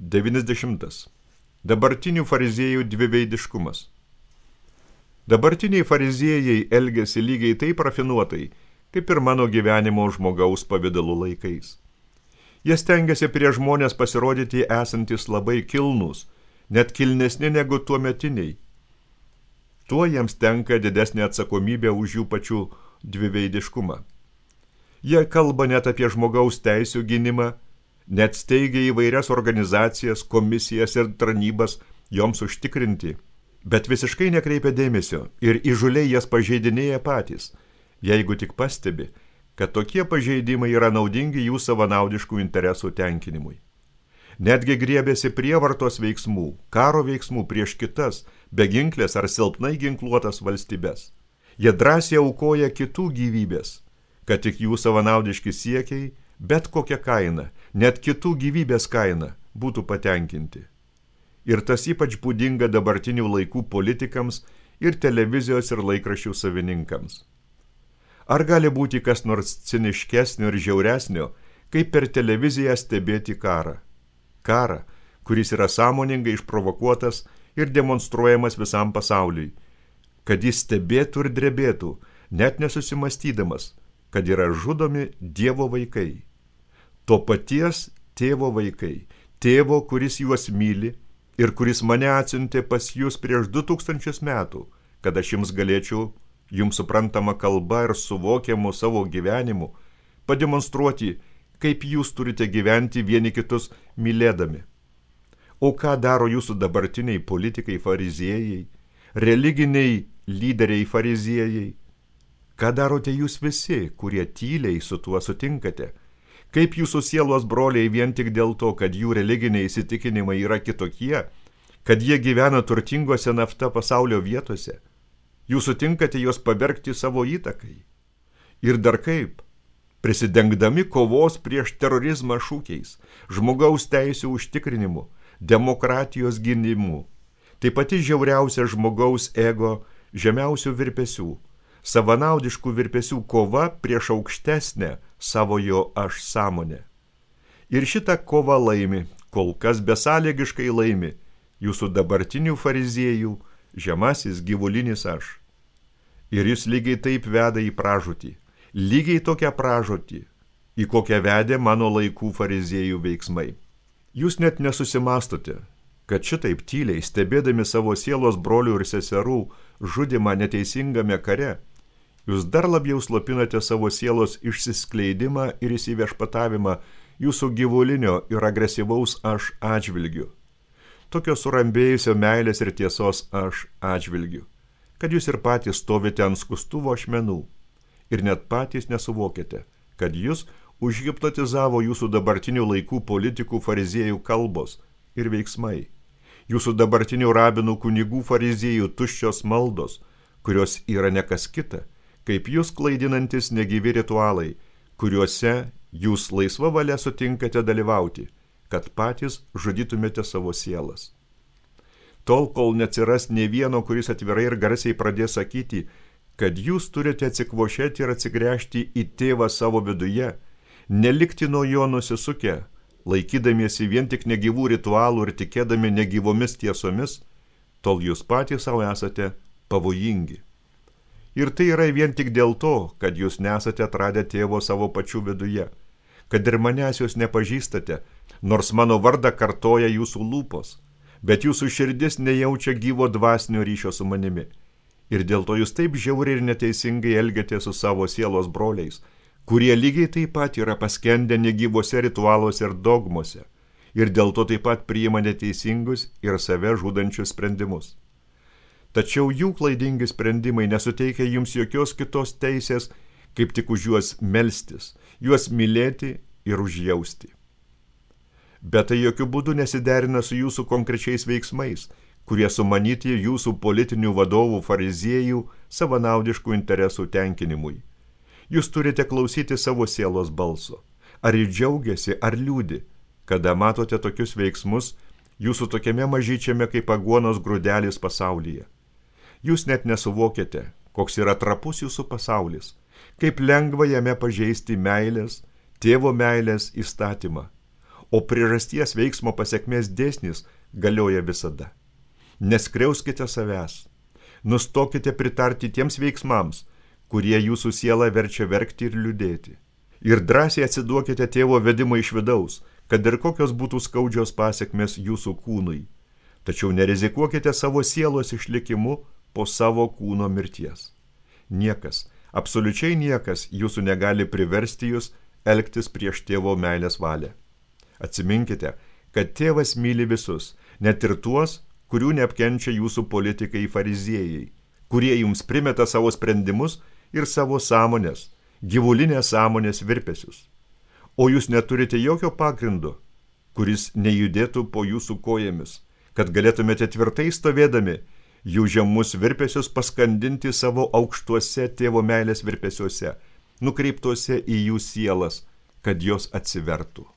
90. Dabartinių fariziejų dviveidiškumas. Dabartiniai fariziejai elgiasi lygiai taip rafinuotai, kaip ir mano gyvenimo žmogaus pavidalų laikais. Jie stengiasi prie žmonės pasirodyti esantis labai kilnus, net kilnesni negu tuometiniai. Tuo jiems tenka didesnė atsakomybė už jų pačių dviveidiškumą. Jie kalba net apie žmogaus teisių gynimą, net steigia įvairias organizacijas, komisijas ir tarnybas joms užtikrinti, bet visiškai nekreipia dėmesio ir įžūliai jas pažeidinėja patys, jeigu tik pastebi, kad tokie pažeidimai yra naudingi jų savanaudiškų interesų tenkinimui. Netgi griebėsi prievartos veiksmų, karo veiksmų prieš kitas, beginklės ar silpnai ginkluotas valstybes. Jie drąsiai aukoja kitų gyvybės, kad tik jų savanaudiški siekiai, bet kokia kaina, net kitų gyvybės kaina, būtų patenkinti. Ir tas ypač būdinga dabartinių laikų politikams ir televizijos ir laikraščių savininkams. Ar gali būti kas nors ciniškesnio ir žiauresnio, kaip per televiziją stebėti karą? Karą, kuris yra sąmoningai išprovokuotas ir demonstruojamas visam pasauliui, kad jis stebėtų ir drebėtų, net nesusimastydamas, kad yra žudomi Dievo vaikai. To paties tėvo vaikai, tėvo, kuris juos myli ir kuris mane atsiuntė pas jūs prieš 2000 metų, kad aš jums galėčiau, jums suprantama kalba ir suvokiamu savo gyvenimu, pademonstruoti, kaip jūs turite gyventi vieni kitus mylėdami. O ką daro jūsų dabartiniai politikai fariziejai, religiniai lyderiai fariziejai? Ką darote jūs visi, kurie tyliai su tuo sutinkate? Kaip jūsų sielos broliai vien tik dėl to, kad jų religiniai įsitikinimai yra kitokie, kad jie gyvena turtingose nafta pasaulio vietose? Jūs sutinkate juos pavergti savo įtakai? Ir dar kaip? Prisidengdami kovos prieš terorizmą šūkiais, žmogaus teisių užtikrinimu, demokratijos gynimu. Tai pati žiauriausia žmogaus ego žemiausių virpesių, savanaudiškų virpesių kova prieš aukštesnę savojo aš sąmonę. Ir šitą kovą laimi, kol kas besąlygiškai laimi, jūsų dabartinių fariziejų žemasis gyvulinis aš. Ir jis lygiai taip veda į pražūtį. Lygiai tokią pražūtį, į kokią vedė mano laikų fariziejų veiksmai. Jūs net nesusimastote, kad šitaip tyliai, stebėdami savo sielos brolių ir seserų žudimą neteisingame kare, jūs dar labiau slopinate savo sielos išsiskleidimą ir įsiviešpatavimą jūsų gyvulinio ir agresyvaus aš atžvilgiu. Tokio surambėjusio meilės ir tiesos aš atžvilgiu, kad jūs ir patys stovite ant skustuvo ašmenų. Ir net patys nesuvokėte, kad jūs užhipnotizavo jūsų dabartinių laikų politikų fariziejų kalbos ir veiksmai. Jūsų dabartinių rabinų kunigų fariziejų tuščios maldos, kurios yra nekas kita, kaip jūs klaidinantis negyvi ritualai, kuriuose jūs laisva valia sutinkate dalyvauti, kad patys žudytumėte savo sielas. Tol, kol neatsiras nė vieno, kuris atvirai ir garsiai pradės sakyti, kad jūs turite atsikvošėti ir atsigręžti į tėvą savo viduje, nelikti nuo jo nusisukę, laikydamiesi vien tik negyvų ritualų ir tikėdami negyvomis tiesomis, tol jūs patys savo esate pavojingi. Ir tai yra vien tik dėl to, kad jūs nesate atradę tėvo savo pačių viduje, kad ir manęs jūs nepažįstate, nors mano vardą kartoja jūsų lūpos, bet jūsų širdis nejaučia gyvo dvasinio ryšio su manimi. Ir dėl to jūs taip žiauriai ir neteisingai elgiate su savo sielos broliais, kurie lygiai taip pat yra paskendę negyvose ritualuose ir dogmose, ir dėl to taip pat priima neteisingus ir save žudančius sprendimus. Tačiau jų klaidingi sprendimai nesuteikia jums jokios kitos teisės, kaip tik už juos melstis, juos mylėti ir užjausti. Bet tai jokių būdų nesiderina su jūsų konkrečiais veiksmais, kurie sumanyti jūsų politinių vadovų fariziejų savanaudiškų interesų tenkinimui. Jūs turite klausyti savo sielos balso. Ar jis džiaugiasi, ar liūdi, kada matote tokius veiksmus jūsų tokiame mažyčiame kaip aguonos grūdelis pasaulyje. Jūs net nesuvokėte, koks yra trapus jūsų pasaulis, kaip lengva jame pažeisti meilės, tėvo meilės įstatymą. o priežasties veiksmo pasekmės dėsnis galioja visada. Neskriauskite savęs, nustokite pritarti tiems veiksmams, kurie jūsų sielą verčia verkti ir liūdėti. Ir drąsiai atsiduokite tėvo vedimo iš vidaus, kad ir kokios būtų skaudžios pasekmės jūsų kūnui. Tačiau nerizikuokite savo sielos išlikimu po savo kūno mirties. Niekas, absoliučiai niekas jūsų negali priversti jūs elgtis prieš tėvo meilės valią. Atsiminkite, kad tėvas myli visus, net ir tuos, kurių neapkenčia jūsų politikai fariziejai, kurie jums primeta savo sprendimus ir savo sąmonės, gyvulinės sąmonės virpesius. O jūs neturite jokio pagrindo, kuris nejudėtų po jūsų kojomis, kad galėtumėte tvirtai stovėdami jų žemus virpesius paskandinti savo aukštuose tėvo meilės virpesiuose, nukreiptuose į jų sielas, kad jos atsivertų.